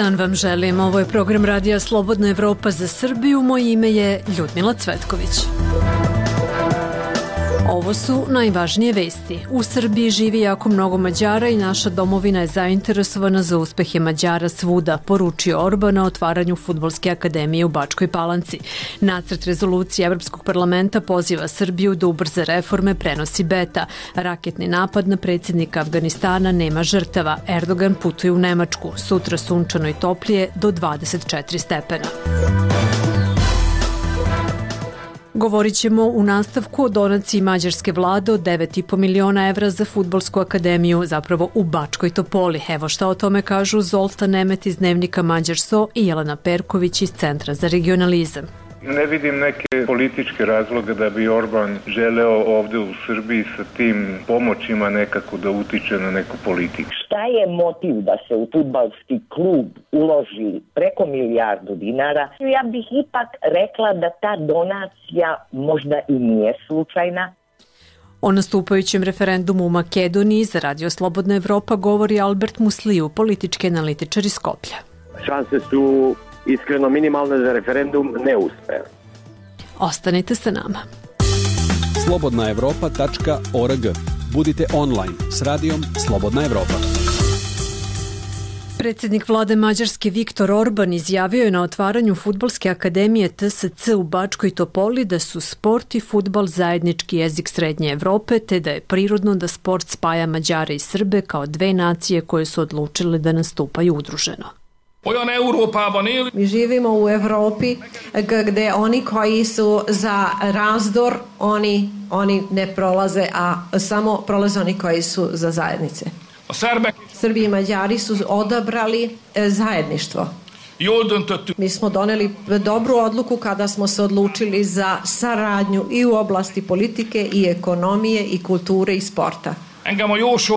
dan vam želim. Ovo je program Radija Slobodna Evropa za Srbiju. Moje ime je Ljudmila Cvetković. Ovo su najvažnije vesti. U Srbiji živi jako mnogo Mađara i naša domovina je zainteresovana za uspehe Mađara svuda, poručio Orban na otvaranju Fudbalske akademije u Bačkoj Palanci. Nacrt rezolucije Evropskog parlamenta poziva Srbiju da ubrza reforme, prenosi Beta. Raketni napad na predsjednika Afganistana, nema žrtava. Erdogan putuje u Nemačku. Sutra sunčano i toplije do 24 stepena. Govorit ćemo u nastavku o donaciji mađarske vlade od 9,5 miliona evra za Fudbalsku akademiju, zapravo u Bačkoj Topoli. Evo šta o tome kažu Zoltan Nemet iz dnevnika Mađarso i Jelena Perković iz Centra za regionalizam. Ne vidim neke političke razloge da bi Orban želeo ovde u Srbiji sa tim pomoćima nekako da utiče na neku politiku. Šta je motiv da se u fudbalski klub uloži preko milijardu dinara? Ja bih ipak rekla da ta donacija možda i nije slučajna. O nastupajućem referendumu u Makedoniji za Radio Slobodna Evropa govori Albert Musliju, politički analitičar iz Skoplja. Šanse su iskreno minimalne za referendum ne uspe. Ostanite sa nama. slobodnaevropa.org. Budite online s radijom Slobodna Evropa. Predsjednik vlade Mađarske Viktor Orban izjavio je na otvaranju Fudbalske akademije TSC u Bačkoj Topoli da su sport i fudbal zajednički jezik Srednje Evrope, te da je prirodno da sport spaja Mađare i Srbe kao dve nacije koje su odlučile da nastupaju udruženo. Mi živimo u Evropi gdje oni koji su za razdor, oni ne prolaze, a samo prolaze oni koji su za zajednice. Srbi i Mađari su odabrali zajedništvo. Mi smo doneli dobru odluku kada smo se odlučili za saradnju i u oblasti politike i ekonomije i kulture i sporta.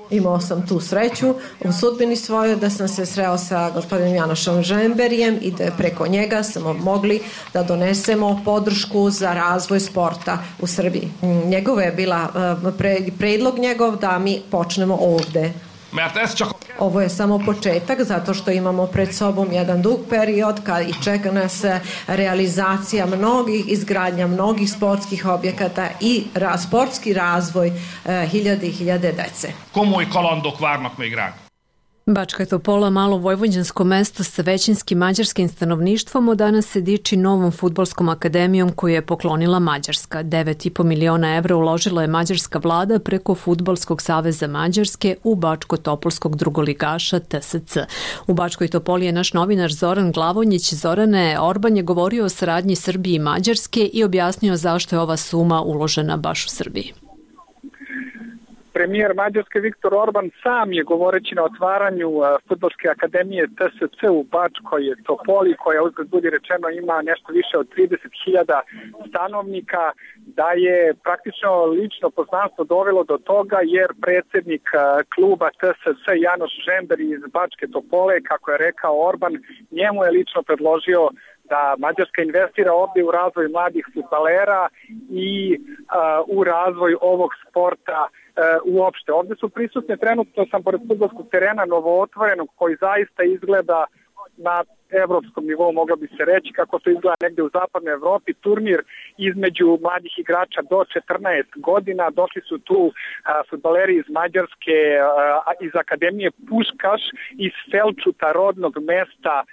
Imao sam tu sreću u sudbini svojoj da sam se sreo sa gospodinom Janošom Žemberijem i da preko njega smo mogli da donesemo podršku za razvoj sporta u Srbiji. Njegova je bila predlog njegov da mi počnemo ovde. Ovo je samo početak zato što imamo pred sobom jedan dug period i čeka nas realizacija mnogih, izgradnja mnogih sportskih objekata i sportski razvoj hiljade i hiljade dece. Komoly kalandok várnak még ránk. Bačka Topola, malo vojvođansko mesto sa većinskim mađarskim stanovništvom, od danas se diči novom fudbalskom akademijom koju je poklonila Mađarska. 9,5 miliona evra uložila je mađarska vlada preko Fudbalskog saveza Mađarske u Bačko-Topolskog drugoligaša TSC. U Bačkoj Topoli je naš novinar Zoran Glavonjić. Zorane, Orban je govorio o saradnji Srbije i Mađarske i objasnio zašto je ova suma uložena baš u Srbiji. Premijer Mađarske Viktor Orban sam je govoreći na otvaranju Fudbalske akademije TSC u Bačkoj Topoli, koja uzgled budi rečeno ima nešto više od 30.000 stanovnika, da je praktično lično poznanstvo dovelo do toga jer predsjednik kluba TSC Janoš Žember iz Bačke Topole, kako je rekao Orban, njemu je lično predložio da Mađarska investira ovdje u razvoj mladih fudbalera i u razvoj ovog sporta uopšte. Ovdje su prisutne, trenutno sam pored fudbalskog terena novootvorenog koji zaista izgleda na evropskom nivou, moglo bi se reći, kako to izgleda negdje u zapadnoj Evropi, turnir između mladih igrača do 14 godina. Došli su tu fudbaleri iz Mađarske, iz Akademije Puškaš, iz Selčuta, rodnog mesta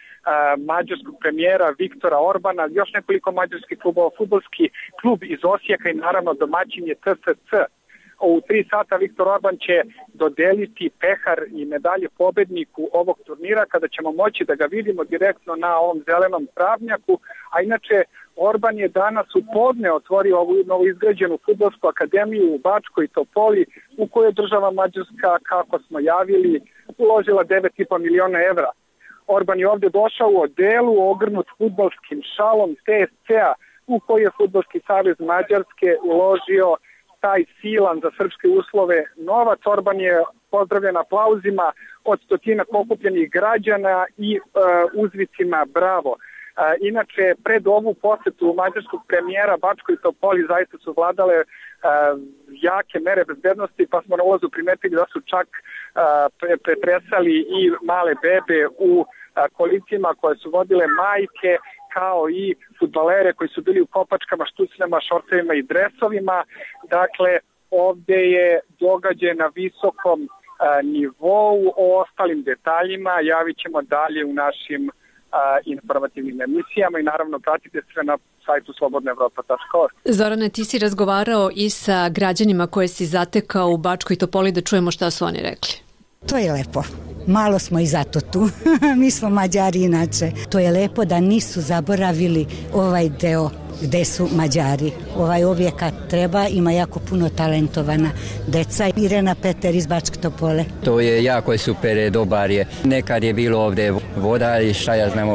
mađarskog premijera Viktora Orbana, još nekoliko mađarskih klubova, fudbalski klub iz Osijeka i naravno domaćin je TSC. U 3 sata Viktor Orban će dodeliti pehar i medalje pobedniku ovog turnira, kada ćemo moći da ga vidimo direktno na ovom zelenom travnjaku. A inače, Orban je danas u podne otvorio ovu novoizgrađenu fudbalsku akademiju u Bačkoj Topoli, u kojoj država Mađarska, kako smo javili, uložila 9,5 miliona evra. Orban je ovdje došao u odelu ogrnut fudbalskim šalom TSC-a, u koji je Fudbalski savez Mađarske uložio taj silan za srpske uslove novac. Orban je pozdravljen aplauzima od stotina pokupljenih građana i uzvicima bravo. Inače, pred ovu posetu mađarskog premijera Bačkoj Topoli zaista su vladale jake mere bezbednosti, pa smo na ulazu primetili da su čak pretresali i male bebe u kolicima koje su vodile majke, kao i fudbalere koji su bili u kopačkama, štucljama, šortevima i dresovima. Dakle, ovde je događaj na visokom nivou. O ostalim detaljima javit ćemo dalje u našim informativnim emisijama i naravno pratite sve na sajtu slobodnaevropa.org. Zorane, ti si razgovarao i sa građanima koje si zatekao u Bačkoj Topoli, da čujemo šta su oni rekli. To je lepo. Malo smo i zato tu. Mi smo Mađari inače. To je lepo da nisu zaboravili ovaj deo gde su Mađari. Ovaj objekat treba, ima jako puno talentovana deca. Irena Peter iz Bačke Topole. To je jako super, dobar je. Nekad je bilo ovde voda i šta ja znam,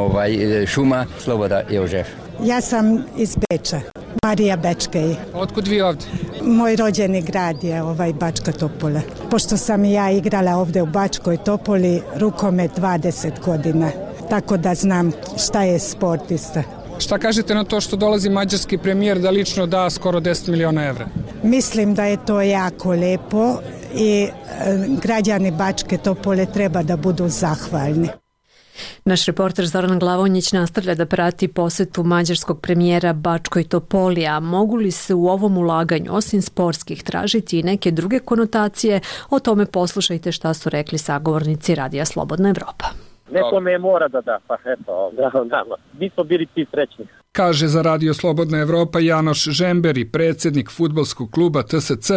šuma. Sloboda Jožef. Ja sam iz Beča, Marija Bečkej. Otkud vi ovde? Moj rođeni grad je Bačka Topola. Pošto sam i ja igrala ovde u Bačkoj Topoli rukomet 20 godina, tako da znam šta je sportista. Šta kažete na to što dolazi mađarski premijer da lično da skoro 10 miliona evra? Mislim da je to jako lepo i građani Bačke Topole treba da budu zahvalni. Naš reporter Zoran Glavonjić nastavlja da prati posetu mađarskog premijera Bačkoj Topoli, a mogu li se u ovom ulaganju, osim sportskih, tražiti i neke druge konotacije? O tome poslušajte šta su rekli sagovornici Radija Slobodna Evropa. Nekome mora da, pa eto, nama. Mi smo bili ti srećni. Kaže za Radio Slobodna Evropa Janoš Žemberi, predsjednik fudbalskog kluba TSC,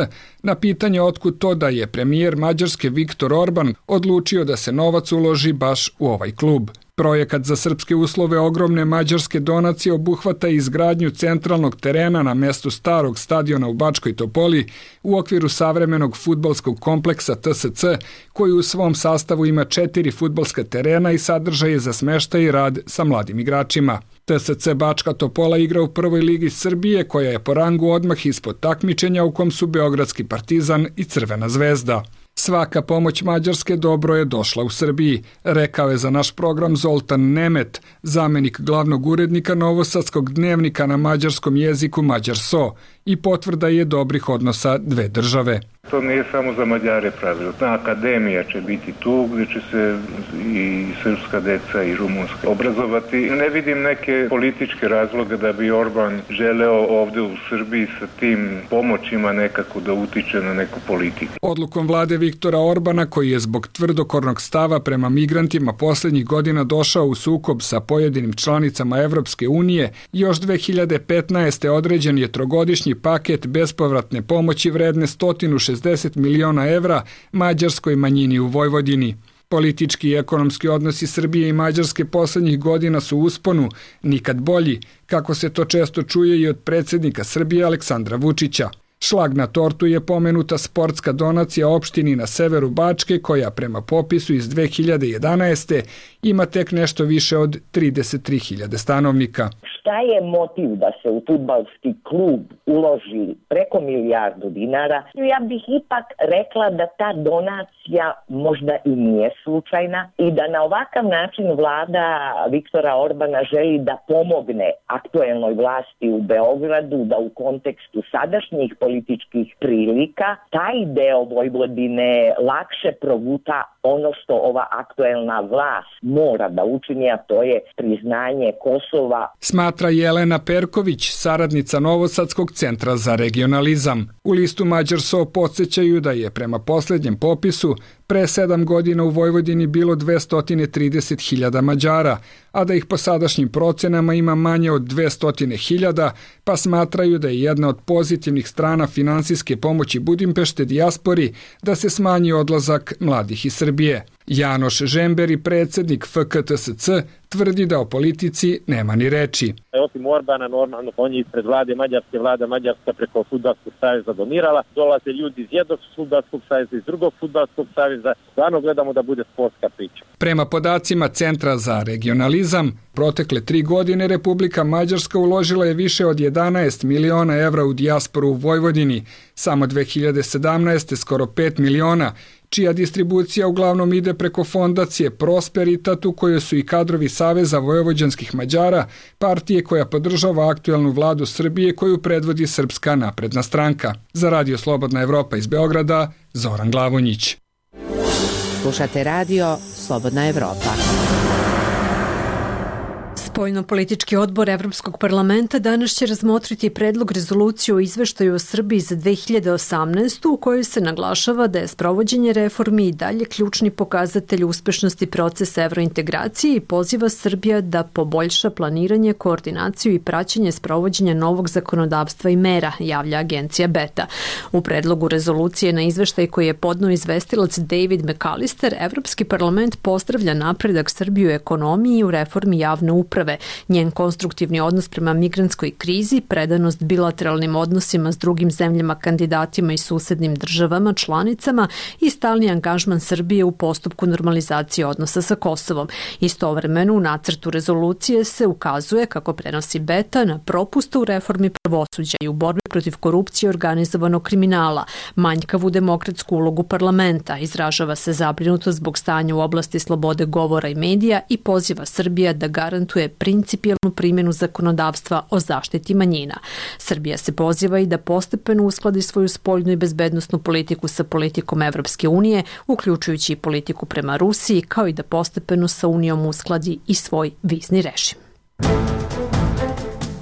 na pitanje otkud to da je premijer Mađarske Viktor Orban odlučio da se novac uloži baš u ovaj klub. Projekat za srpske uslove ogromne mađarske donacije obuhvata izgradnju centralnog terena na mestu starog stadiona u Bačkoj Topoli u okviru savremenog fudbalskog kompleksa TSC, koji u svom sastavu ima 4 fudbalska terena i sadržaje za smeštaj i rad sa mladim igračima. TSC Bačka Topola igra u prvoj ligi Srbije, koja je po rangu odmah ispod takmičenja u kom su Beogradski Partizan i Crvena zvezda. Svaka pomoć Mađarske dobro je došla u Srbiji, rekao je za naš program Zoltan Nemet, zamenik glavnog urednika Novosadskog dnevnika na mađarskom jeziku Mađarso, i potvrda je dobrih odnosa dve države. To nije samo za Mađare pravilo. Akademija će biti tu gdje će se i srpska deca i rumunska obrazovati. Ne vidim neke političke razloge da bi Orban želeo ovde u Srbiji sa tim pomoćima nekako da utiče na neku politiku. Odlukom vlade Viktora Orbana, koji je zbog tvrdokornog stava prema migrantima poslednjih godina došao u sukob sa pojedinim članicama Evropske unije, još 2015. određen je trogodišnji paket bespovratne pomoći vredne 160 miliona evra mađarskoj manjini u Vojvodini. Politički i ekonomski odnosi Srbije i Mađarske poslednjih godina su u usponu, nikad bolji, kako se to često čuje i od predsjednika Srbije Aleksandra Vučića. Šlag na tortu je pomenuta sportska donacija opštini na severu Bačke, koja prema popisu iz 2011. ima tek nešto više od 33.000 stanovnika. Šta je motiv da se u fudbalski klub uloži preko milijardu dinara? Ja bih ipak rekla da ta donacija možda i nije slučajna i da na ovakav način vlada Viktora Orbana želi da pomogne aktuelnoj vlasti u Beogradu, da u kontekstu sadašnjih političkih prilika taj deo Vojvodine lakše proguta ono što ova aktuelna vlast mora da učini, a to je priznanje Kosova. Smatra Jelena Perković, saradnica Novosadskog centra za regionalizam. U listu Mađarso podsjećaju da je prema posljednjem popisu pre 7 godina u Vojvodini bilo 230.000 Mađara, a da ih po sadašnjim procenama ima manje od 200.000, pa smatraju da je jedna od pozitivnih strana finansijske pomoći Budimpešte dijaspori da se smanji odlazak mladih iz Srbije. Janoš Žemberi, predsjednik FKTSC, tvrdi da o politici nema ni reči. Osim Orbana, normalno, on je ispred vlade Mađarske, vlada Mađarska preko Fudbalskog saveza donirala. Dolaze ljudi iz jednog Fudbalskog saveza, iz drugog Fudbalskog saveza. Stvarno gledamo da bude sportska priča. Prema podacima Centra za regionalizam, protekle 3 godine Republika Mađarska uložila je više od 11 miliona evra u dijasporu u Vojvodini, samo 2017. skoro 5 miliona, čija distribucija uglavnom ide preko fondacije Prosperitat, u kojoj su i kadrovi Saveza vojvođanskih Mađara, partije koja podržava aktuelnu vladu Srbije koju predvodi Srpska napredna stranka. Za Radio Slobodna Evropa iz Beograda, Zoran Glavonjić. Slušate Radio Slobodna Evropa. Spoljno-politički odbor Evropskog parlamenta danas će razmotriti predlog rezolucije o izveštaju o Srbiji za 2018. u kojoj se naglašava da je sprovođenje reformi i dalje ključni pokazatelj uspešnosti procesa evrointegracije i poziva Srbija da poboljša planiranje, koordinaciju i praćenje sprovođenja novog zakonodavstva i mera, javlja agencija Beta. U predlogu rezolucije na izveštaj koji je podneo izvestilac David McAllister, Evropski parlament pozdravlja napredak Srbije u ekonomiji i u reformi javne uprave, njen konstruktivni odnos prema migrantskoj krizi, predanost bilateralnim odnosima s drugim zemljama, kandidatima i susednim državama, članicama i stalni angažman Srbije u postupku normalizacije odnosa sa Kosovom. Istovremeno u nacrtu rezolucije se ukazuje, kako prenosi Beta, na propuste u reformi pravosuđa i u borbi protiv korupcije i organizovanog kriminala, manjkavu demokratsku ulogu parlamenta, izražava se zabrinutost zbog stanja u oblasti slobode govora i medija i poziva Srbija da garantuje principijelnu primjenu zakonodavstva o zaštiti manjina. Srbija se poziva i da postepeno uskladi svoju spoljnu i bezbednosnu politiku sa politikom Evropske unije, uključujući i politiku prema Rusiji, kao i da postepeno sa Unijom uskladi i svoj vizni režim.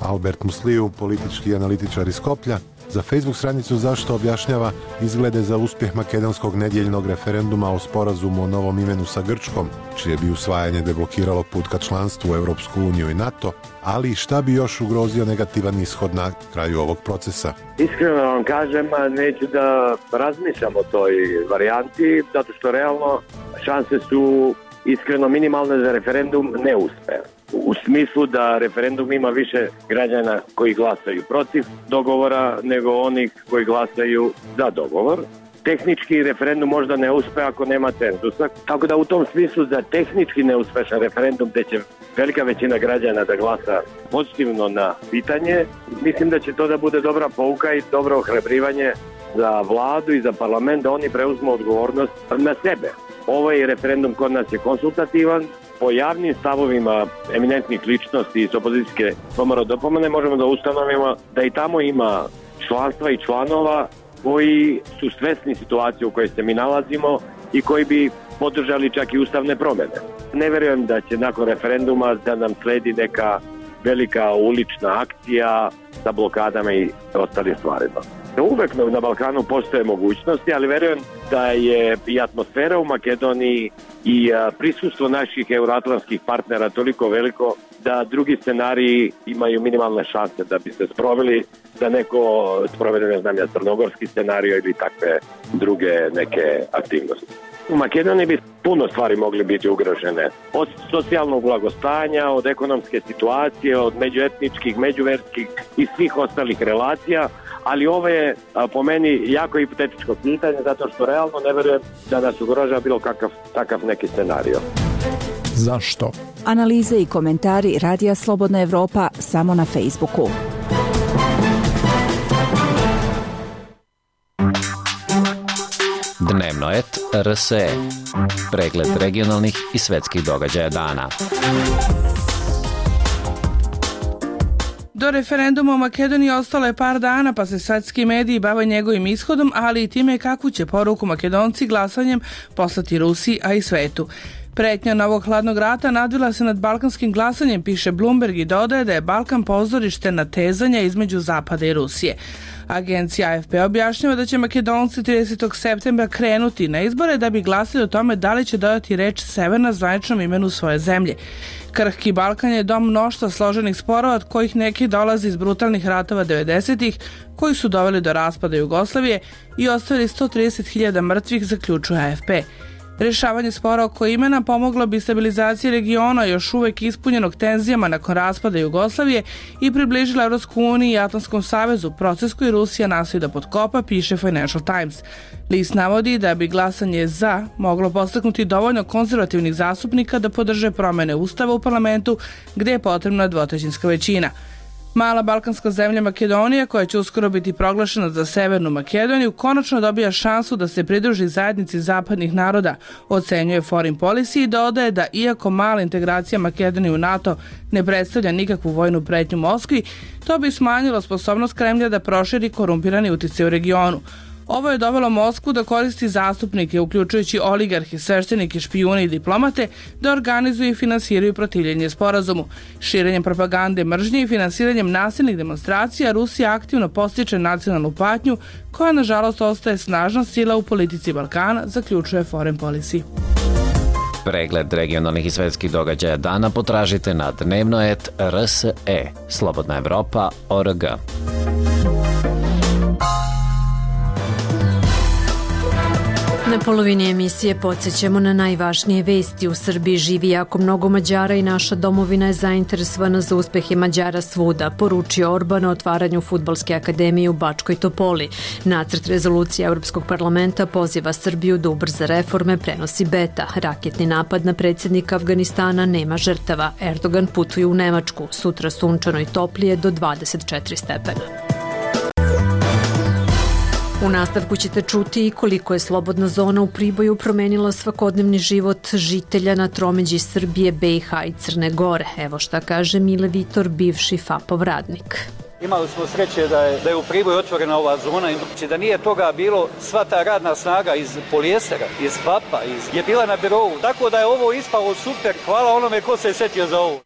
Albert Musliju, politički analitičar iz Skoplja, za Facebook stranicu Zašto objašnjava izglede za uspjeh makedonskog nedjeljnog referenduma o sporazumu o novom imenu sa Grčkom, čije bi usvajanje deblokiralo put ka članstvu u Europsku uniju i NATO, ali šta bi još ugrozio negativan ishod na kraju ovog procesa? Iskreno vam kažem, neću da razmišljam o toj varijanti, zato što realno šanse su iskreno minimalne za referendum ne uspe. U smislu da referendum ima više građana koji glasaju protiv dogovora nego onih koji glasaju za dogovor. Tehnički referendum možda ne uspe ako nema cenzusa, tako da u tom smislu za tehnički neuspešan referendum gde će velika većina građana da glasa pozitivno na pitanje, mislim da će to da bude dobra pouka i dobro ohrabrivanje za vladu i za parlament da oni preuzmu odgovornost na sebe. Ovaj referendum kod nas je konsultativan. Po javnim stavovima eminentnih ličnosti iz opozicijske komore dopomene možemo da ustanovimo da i tamo ima članstva i članova koji su svesni situacije u kojoj se mi nalazimo i koji bi podržali čak i ustavne promjene. Ne verujem da će nakon referenduma da nam sledi neka velika ulična akcija sa blokadama i ostalim stvarima. Uvek na Balkanu postoje mogućnosti, ali verujem da je i atmosfera u Makedoniji i prisustvo naših euroatlantskih partnera toliko veliko da drugi scenariji imaju minimalne šanse da bi se sproveli, da neko sprovede, ne znam ja, crnogorski scenario ili takve druge neke aktivnosti. U Makedoniji bi puno stvari mogli biti ugrožene. Od socijalnog blagostanja, od ekonomske situacije, od međuetničkih, međuverskih i svih ostalih relacija, ali ovo je po meni jako hipotetičko pitanje zato što realno ne verujem da nas ugrožava bilo takav neki scenario. Zašto? Analize i komentari Radija Slobodna Evropa samo na Facebooku. Dnevnoet RSE. Pregled regionalnih i svetskih događaja dana. Do referenduma u Makedoniji ostalo je par dana, pa se svetski mediji bave njegovim ishodom, ali i time kakvu će poruku Makedonci glasanjem poslati Rusiji, a i svetu. Pretnja novog hladnog rata nadvila se nad balkanskim glasanjem, piše Bloomberg, i dodaje da je Balkan pozorište natezanja između Zapada i Rusije. Agencija AFP objašnjava da će Makedonci 30. septembra krenuti na izbore da bi glasili o tome da li će dodati reč Severna zvaničnom imenu svoje zemlje. Krhki Balkan je dom mnoštva složenih sporova, od kojih neki dolaze iz brutalnih ratova 90-ih, koji su doveli do raspada Jugoslavije i ostavili 130.000 mrtvih, zaključuje AFP. Rješavanje spora oko imena pomoglo bi stabilizaciji regiona još uvek ispunjenog tenzijama nakon raspada Jugoslavije i približila Evropsku uniju i Atlantskom savezu, proces koji Rusija nastoji da potkopa, piše Financial Times. List navodi da bi glasanje za moglo podstaknuti dovoljno konzervativnih zastupnika da podrže promjene ustava u parlamentu gdje je potrebna dvotrećinska većina. Mala balkanska zemlja Makedonija, koja će uskoro biti proglašena za Severnu Makedoniju, konačno dobija šansu da se pridruži zajednici zapadnih naroda, ocenjuje Foreign Policy i dodaje da iako mala integracija Makedonije u NATO ne predstavlja nikakvu vojnu pretnju Moskvi, to bi smanjilo sposobnost Kremlja da proširi korumpirani uticaj u regionu. Ovo je dovelo Moskvu da koristi zastupnike, uključujući oligarhe, sveštenike, špijune i diplomate, da organizuju i finansiraju protivljenje sporazumu. Širenjem propagande mržnje i finansiranjem nasilnih demonstracija Rusija aktivno postiče nacionalnu patnju koja nažalost ostaje snažna sila u politici Balkana, zaključuje Foreign Policy. Pregled regionalnih i svetskih događaja dana potražite na dnevno.rs.e slobodnaevropa.org. Na polovini emisije podsjećamo na najvažnije vesti. U Srbiji živi jako mnogo Mađara i naša domovina je zainteresovana za uspehe Mađara svuda, poručio Orban na otvaranju Fudbalske akademije u Bačkoj Topoli. Nacrt rezolucije Europskog parlamenta poziva Srbiju da ubrza reforme, prenosi Beta. Raketni napad na predsjednika Afganistana, nema žrtava. Erdogan putuje u Nemačku. Sutra sunčano i toplije do 24 stepena. U nastavku ćete čuti i koliko je slobodna zona u Priboju promenila svakodnevni život žitelja na tromeđi Srbije, BiH i Crne Gore. Evo šta kaže Mile Vitor, bivši FAP-ov radnik. Imali smo sreće da je u Priboju otvorena ova zona, da nije toga bilo, sva ta radna snaga iz Polijestera, iz FAP-a, je bila na birovu. Tako da je ovo ispalo super, hvala onome ko se setio za ovo.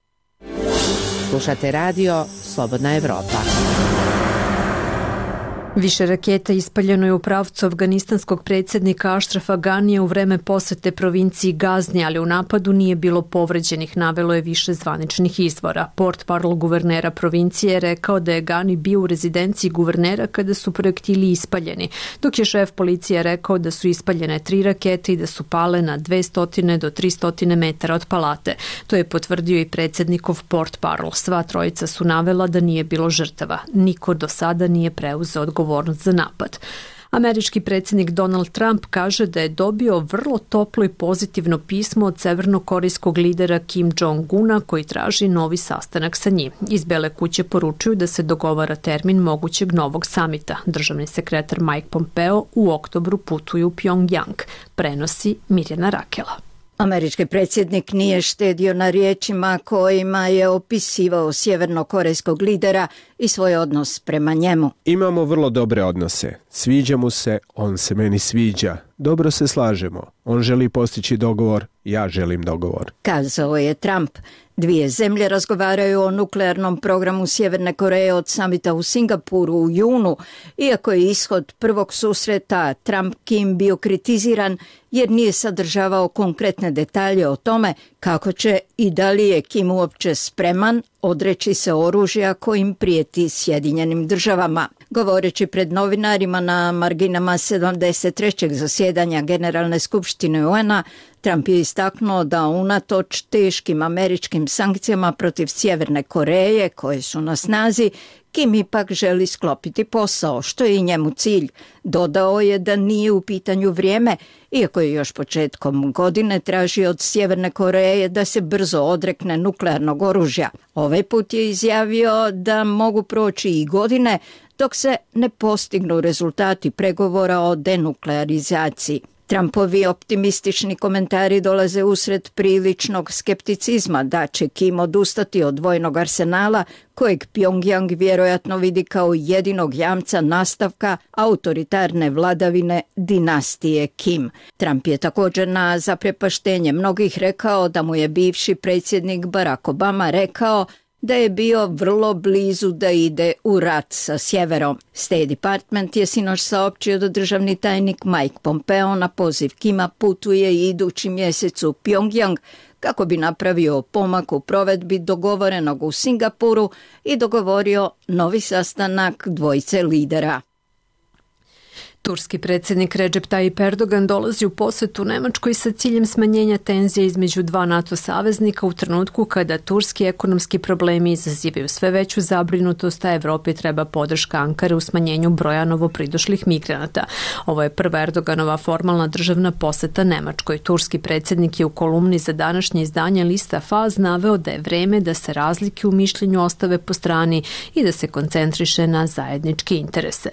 Slušate radio Slobodna Evropa. Više raketa ispaljeno je u pravcu afganistanskog predsjednika Ašrafa Ganija u vreme posete provinciji Gazni, ali u napadu nije bilo povređenih, navelo je više zvaničnih izvora. Portparol guvernera provincije je rekao da je Gani bio u rezidenciji guvernera kada su projektili ispaljeni, dok je šef policije rekao da su ispaljene 3 rakete i da su pale na 200 do 300 metara od palate. To je potvrdio i predsjednikov portparol. Sva trojica su navela da nije bilo žrtava. Niko do sada nije preuzeo odgovornost za napad. Američki predsjednik Donald Trump kaže da je dobio vrlo toplo i pozitivno pismo od severnokorejskog lidera Kim Jong-una koji traži novi sastanak sa njim. Iz Bele kuće poručuju da se dogovara termin mogućeg novog samita. Državni sekretar Mike Pompeo u oktobru putuje u Pjongjang, prenosi Mirjana Rakela. Američki predsjednik nije štedio na riječima kojima je opisivao sjevernokorejskog lidera i svoj odnos prema njemu. Imamo vrlo dobre odnose. Sviđa mu se, on se meni sviđa. Dobro se slažemo. On želi postići dogovor, ja želim dogovor. Kazao je Trump. Dvije zemlje razgovaraju o nuklearnom programu Sjeverne Koreje od samita u Singapuru u junu, iako je ishod prvog susreta Trump-Kim bio kritiziran jer nije sadržavao konkretne detalje o tome kako će i da li je Kim uopće spreman odreći se oružja kojim prijeti Sjedinjenim državama. Govoreći pred novinarima na marginama 73. zasjedanja Generalne skupštine UN-a, Trump je istaknuo da unatoč teškim američkim sankcijama protiv Sjeverne Koreje koje su na snazi, Kim ipak želi sklopiti posao, što je i njemu cilj. Dodao je da nije u pitanju vrijeme, iako je još početkom godine tražio od Sjeverne Koreje da se brzo odrekne nuklearnog oružja. Ovaj put je izjavio da mogu proći i godine dok se ne postignu rezultati pregovora o denuklearizaciji. Trumpovi optimistični komentari dolaze usred priličnog skepticizma da će Kim odustati od vojnog arsenala kojeg Pjongjang vjerojatno vidi kao jedinog jamca nastavka autoritarne vladavine dinastije Kim. Trump je također na zaprepaštenje mnogih rekao da mu je bivši predsjednik Barack Obama rekao da je bio vrlo blizu da ide u rat sa sjeverom. State Department je sinoć saopćio da državni tajnik Mike Pompeo na poziv Kima putuje idući mjesec u Pjongjang kako bi napravio pomak u provedbi dogovorenog u Singapuru i dogovorio novi sastanak dvojice lidera. Turski predsjednik Recep Tayyip Erdogan dolazi u posjetu Nemačkoj sa ciljem smanjenja tenzija između dva NATO saveznika u trenutku kada turski ekonomski problemi izazivaju sve veću zabrinutost, a Evropi treba podrška Ankare u smanjenju broja novopridošlih migranata. Ovo je prva Erdoganova formalna državna posjeta Nemačkoj. Turski predsjednik je u kolumni za današnje izdanje lista Faz naveo da je vreme da se razlike u mišljenju ostave po strani i da se koncentriše na zajedničke interese.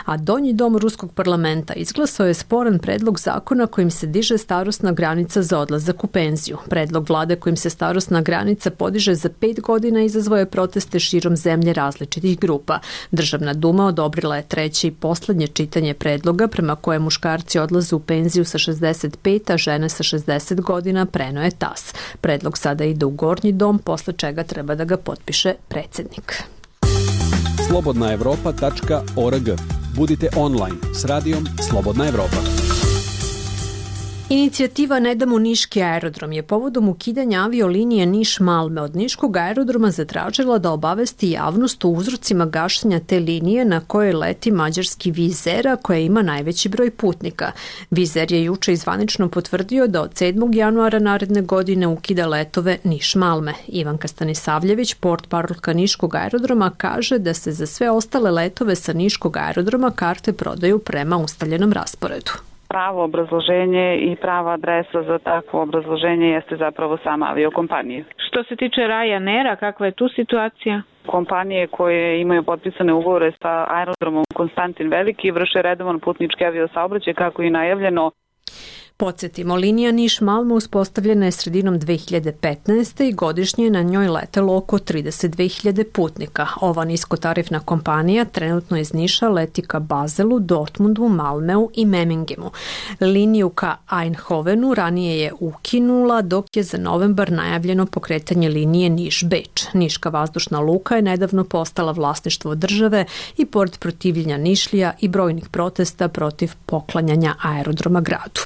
A Donji dom Ruskog parlamenta izglasao je sporan predlog zakona kojim se diže starosna granica za odlazak u penziju. Predlog vlade kojim se starosna granica podiže za 5 godina izazvao je proteste širom zemlje različitih grupa. Državna duma odobrila je treće i poslednje čitanje predloga prema kojem muškarci odlaze u penziju sa 65, a žene sa 60 godina, preneo je TAS. Predlog sada ide u Gornji dom, posle čega treba da ga potpiše predsjednik. slobodnaevropa.org. Budite online s radijom Slobodna Evropa. Inicijativa Ne damo niški aerodrom je povodom ukidanja aviolinije Niš-Malme od niškog aerodroma zatražila da obavesti javnost o uzrocima gašenja te linije na kojoj leti mađarski Wizz Air, koja ima najveći broj putnika. Wizz Air je juče zvanično potvrdio da od 7. januara naredne godine ukida letove Niš-Malme. Ivanka Stanisavljević, portparolka niškog aerodroma, kaže da se za sve ostale letove sa niškog aerodroma karte prodaju prema ustaljenom rasporedu. Pravo obrazloženje i prava adresa za takvo obrazloženje jeste zapravo sama aviokompanija. Što se tiče Ryanaira, kakva je tu situacija? Kompanije koje imaju potpisane ugovore sa aerodromom Konstantin Veliki vrše redovan putnički aviosaobraćaj kako je najavljeno. Podsjetimo, linija Niš-Malme uspostavljena je sredinom 2015. i godišnje je na njoj letelo oko 32.000 putnika. Ova niskotarifna kompanija trenutno iz Niša leti ka Bazelu, Dortmundu, Malmeu i Memingemu. Liniju ka Eindhovenu ranije je ukinula, dok je za novembar najavljeno pokretanje linije Niš-Beč. Niška vazdušna luka je nedavno postala vlasništvo države i pored protivljenja Nišlija i brojnih protesta protiv poklanjanja aerodroma gradu.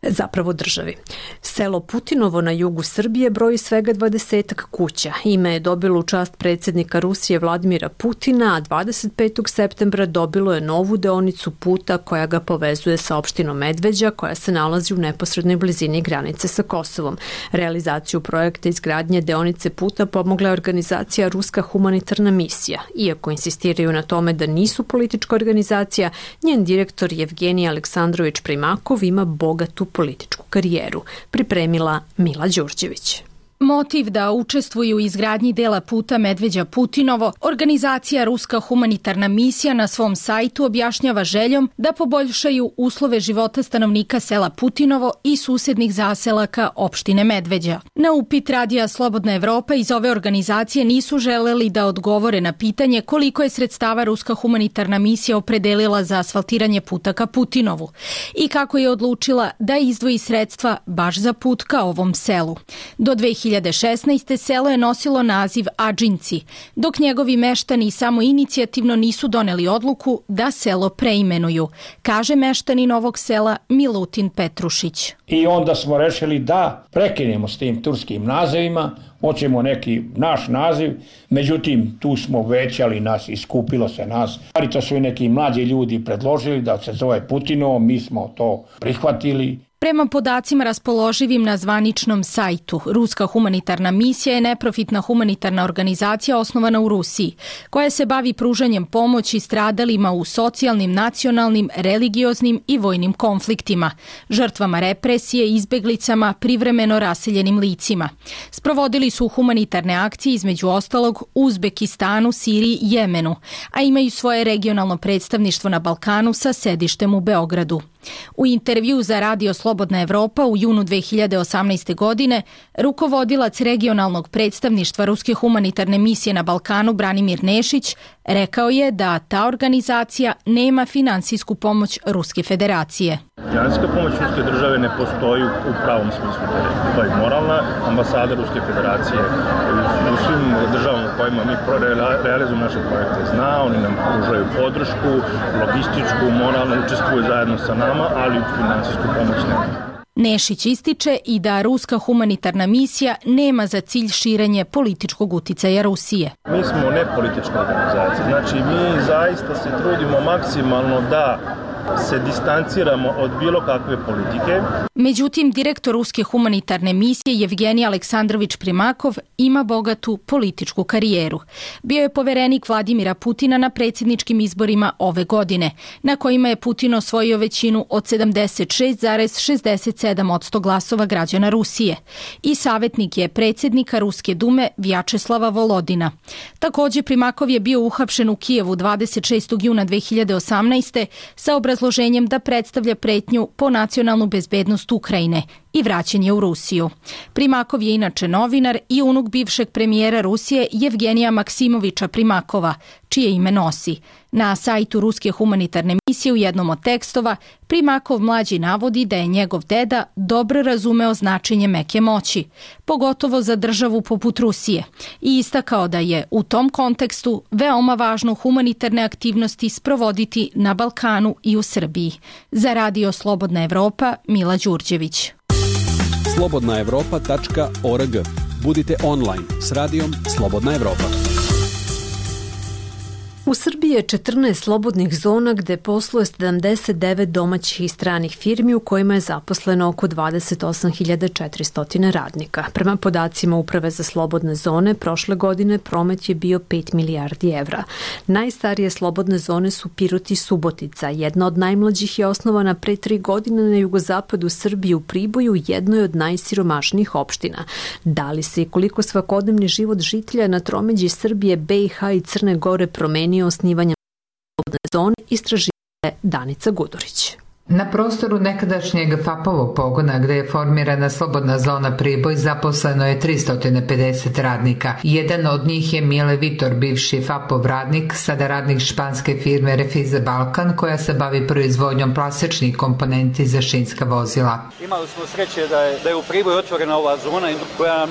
Zapravo državi. Selo Putinovo na jugu Srbije broji svega 20 kuća. Ime je dobilo u čast predsjednika Rusije Vladimira Putina, a 25. septembra dobilo je novu deonicu puta koja ga povezuje sa opštinom Medveđa, koja se nalazi u neposrednoj blizini granice sa Kosovom. Realizaciju projekta izgradnje deonice puta pomogla je organizacija Ruska humanitarna misija. Iako insistiraju na tome da nisu politička organizacija, njen direktor Evgenij Aleksandrović Primakov ima bogatu političku karijeru, pripremila Mila Đurđević. Motiv da učestvuju u izgradnji dela puta Medveđa Putinovo, organizacija Ruska humanitarna misija na svom sajtu objašnjava željom da poboljšaju uslove života stanovnika sela Putinovo i susednih zaselaka opštine Medveđa. Na upit Radija Slobodna Evropa iz ove organizacije nisu želeli da odgovore na pitanje koliko je sredstava Ruska humanitarna misija opredelila za asfaltiranje puta ka Putinovu i kako je odlučila da izdvoji sredstva baš za put ka ovom selu. Do 2016. selo je nosilo naziv Adžinci, dok njegovi meštani samo inicijativno nisu doneli odluku da selo preimenuju, kaže meštanin ovog sela Milutin Petrušić. I onda smo rešili da prekinemo s tim turskim nazivima, hoćemo neki naš naziv, međutim tu smo većali nas, iskupilo se nas, ali to su i neki mlađi ljudi predložili da se zove Putinovo, mi smo to prihvatili. Prema podacima raspoloživim na zvaničnom sajtu, Ruska humanitarna misija je neprofitna humanitarna organizacija osnovana u Rusiji, koja se bavi pružanjem pomoći stradalima u socijalnim, nacionalnim, religioznim i vojnim konfliktima, žrtvama represije, izbeglicama, privremeno raseljenim licima. Sprovodili su humanitarne akcije između ostalog u Uzbekistanu, Siriji i Jemenu, a imaju svoje regionalno predstavništvo na Balkanu sa sedištem u Beogradu. U intervju za Radio Slobodna Evropa u junu 2018. godine rukovodilac regionalnog predstavništva Ruske humanitarne misije na Balkanu Branimir Nešić rekao je da ta organizacija nema finansijsku pomoć Ruske federacije. Finansijska pomoć Ruske države ne postoji u pravom smislu te reči. Postoji moralna, ambasada Ruske federacije u svim državama u kojima mi realizujemo naše projekte zna, oni nam pružaju podršku, logističku, moralno učestvuju zajedno sa nama, ali finansijsku pomoć nema. Nešić ističe i da Ruska humanitarna misija nema za cilj širenje političkog uticaja Rusije. Mi smo nepolitička organizacija, znači mi zaista se trudimo maksimalno da se distanciramo od bilo kakve politike. Međutim, direktor Ruske humanitarne misije Evgenij Aleksandrović Primakov ima bogatu političku karijeru. Bio je poverenik Vladimira Putina na predsjedničkim izborima ove godine, na kojima je Putin osvojio većinu od 76,67% glasova građana Rusije. I savjetnik je predsjednika Ruske dume Vjačeslava Volodina. Također Primakov je bio uhapšen u Kijevu 26. juna 2018. sa obrazloženjem obrazloženjem da predstavlja pretnju po nacionalnu bezbednost Ukrajine i vraćanje u Rusiju. Primakov je inače novinar i unuk bivšeg premijera Rusije Jevgenija Maksimoviča Primakova, čije ime nosi. Na sajtu Ruske humanitarne misije u jednom od tekstova Primakov mlađi navodi da je njegov deda dobro razumeo značenje meke moći, pogotovo za državu poput Rusije, i istakao da je u tom kontekstu veoma važno humanitarne aktivnosti sprovoditi na Balkanu i u Srbiji. Za Radio Slobodna Evropa, Mila Đurđević. slobodnaevropa.org. Budite online s radijom Slobodna Evropa. U Srbiji je 14 slobodnih zona gde posluje 79 domaćih i stranih firmi u kojima je zaposleno oko 28.400 radnika. Prema podacima Uprave za slobodne zone, prošle godine promet je bio 5 milijardi evra. Najstarije slobodne zone su Pirot i Subotica. Jedna od najmlađih je osnovana pre 3 godine na jugozapadu Srbije u Priboju, jednoj od najsiromašnijih opština. Da li se i koliko svakodnevni život žitelja na tromeđi Srbije, BiH i Crne Gore promenio osnivanjem slobodne zone, istraživala Danica Gudurić. Na prostoru nekadašnjeg FAP-ovog pogona gde je formirana slobodna zona Priboj zaposleno je 350 radnika. Jedan od njih je Mile Vitor, bivši FAP-ov radnik, sada radnik španske firme Refize Balkan koja se bavi proizvodnjom plastičnih komponenti za šinska vozila. Imali smo sreće da je u Priboju otvorena ova zona koja nam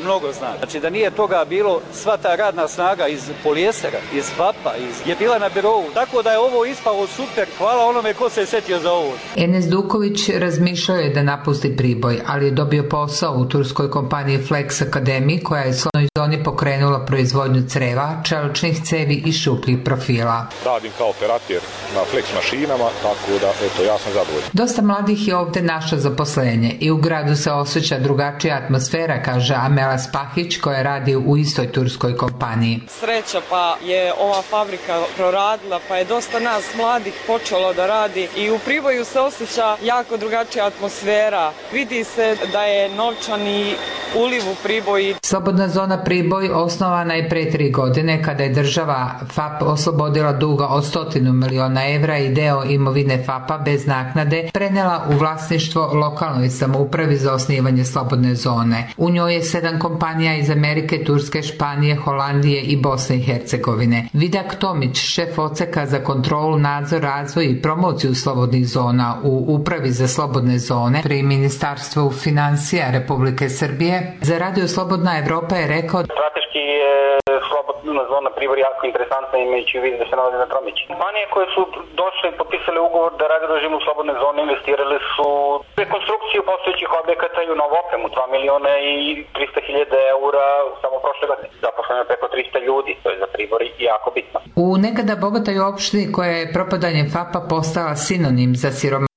mnogo zna. Znači da nije toga bilo, sva ta radna snaga iz polijestera, iz FAP-a, je bila na birovu. Tako da je ovo ispalo super. Hvala onome ko se setio za ovo. Enes Duković razmišljao je da napusti Priboj, ali je dobio posao u turskoj kompaniji Flex Academy koja je u slobodnoj zoni pokrenula proizvodnju creva, čeličnih cevi i šupljih profila. Radim kao operator na Flex mašinama, tako da ja sam zadovoljan. Dosta mladih je ovde našlo zaposlenje i u gradu se osjeća drugačija atmosfera, kaže Amela Spahić koja radi u istoj turskoj kompaniji. Sreća pa je ova fabrika proradila, pa je dosta nas mladih počelo da radi i u Priboju se osjeća jako drugačija atmosfera. Vidi se da je novčani uliv u Priboji. Slobodna zona Priboj osnovana je pre 3 godine kada je država FAP oslobodila duga od 100 miliona evra i deo imovine FAP-a bez naknade prenela u vlasništvo lokalnoj samoupravi za osnivanje slobodne zone. U njoj je 7 kompanija iz Amerike, Turske, Španije, Holandije i Bosne i Hercegovine. Vidak Tomić, šef odseka za kontrolu, nadzor, razvoj i promociju slobodnih zona u Upravi za slobodne zone pri Ministarstvu financija Republike Srbije, za Radio Slobodna Evropa je rekao: strateški je slobodna zona Priboj jako interesantna imajući u vidu da se nalazi na tromeđi. Kompanije koje su došle i potpisale ugovor da rade u režimu slobodne zone investirale su rekonstrukciju postojećih objekata i u novu opremu, 2 miliona i 300.000 eura samo prošle godine. Zaposleno je preko 300 ljudi, to je za Priboj jako bitno. U nekada bogatoj opštini koja je propadanjem FAP-a postala sinonim za siromaštvo,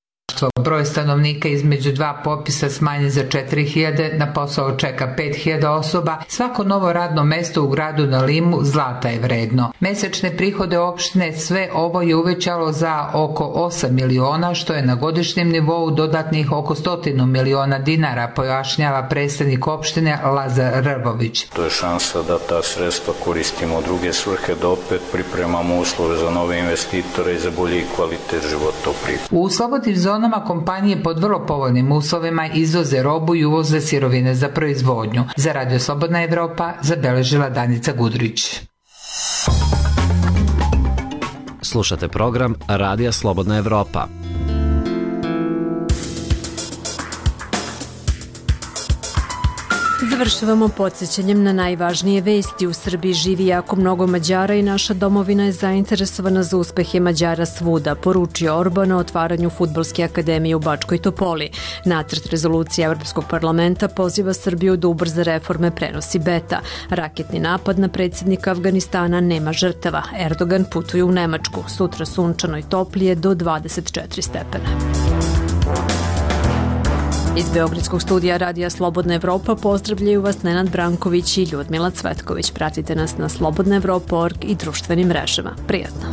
broj stanovnika između 2 popisa smanjen za 4.000, na posao čeka 5.000 osoba, svako novo radno mesto u gradu na limu zlata je vredno. Mesečne prihode opštine sve ovo je uvećalo za oko 8 miliona, što je na godišnjem nivou dodatnih oko 100 miliona dinara, pojašnjava predstavnik opštine Lazar Rvović. To je šansa da ta sredstva koristimo u druge svrhe, da opet pripremamo uslove za nove investitore i za bolji kvalitet života u Priboju. U slobodnim zonama kompanije pod vrlo povoljnim uslovima izvoze robu i uvoze sirovine za proizvodnju. Za Radio Slobodna Evropa zabeležila Danica Gudurić. Slušate program Radija Slobodna Evropa. Završavamo podsjećanjem na najvažnije vesti. U Srbiji živi jako mnogo Mađara i naša domovina je zainteresovana za uspehe Mađara svuda, poručio Orban na otvaranju Fudbalske akademije u Bačkoj Topoli. Nacrt rezolucije Evropskog parlamenta poziva Srbiju da ubrza reforme, prenosi Beta. Raketni napad na predsjednika Afganistana, nema žrtava. Erdogan putuje u Nemačku. Sutra sunčano i toplije do 24 stepena. Iz Beogradskog studija Radija Slobodna Evropa pozdravljaju vas Nenad Branković i Ljudmila Cvetković. Pratite nas na slobodnaevropa.org i društvenim mrežama. Prijatno!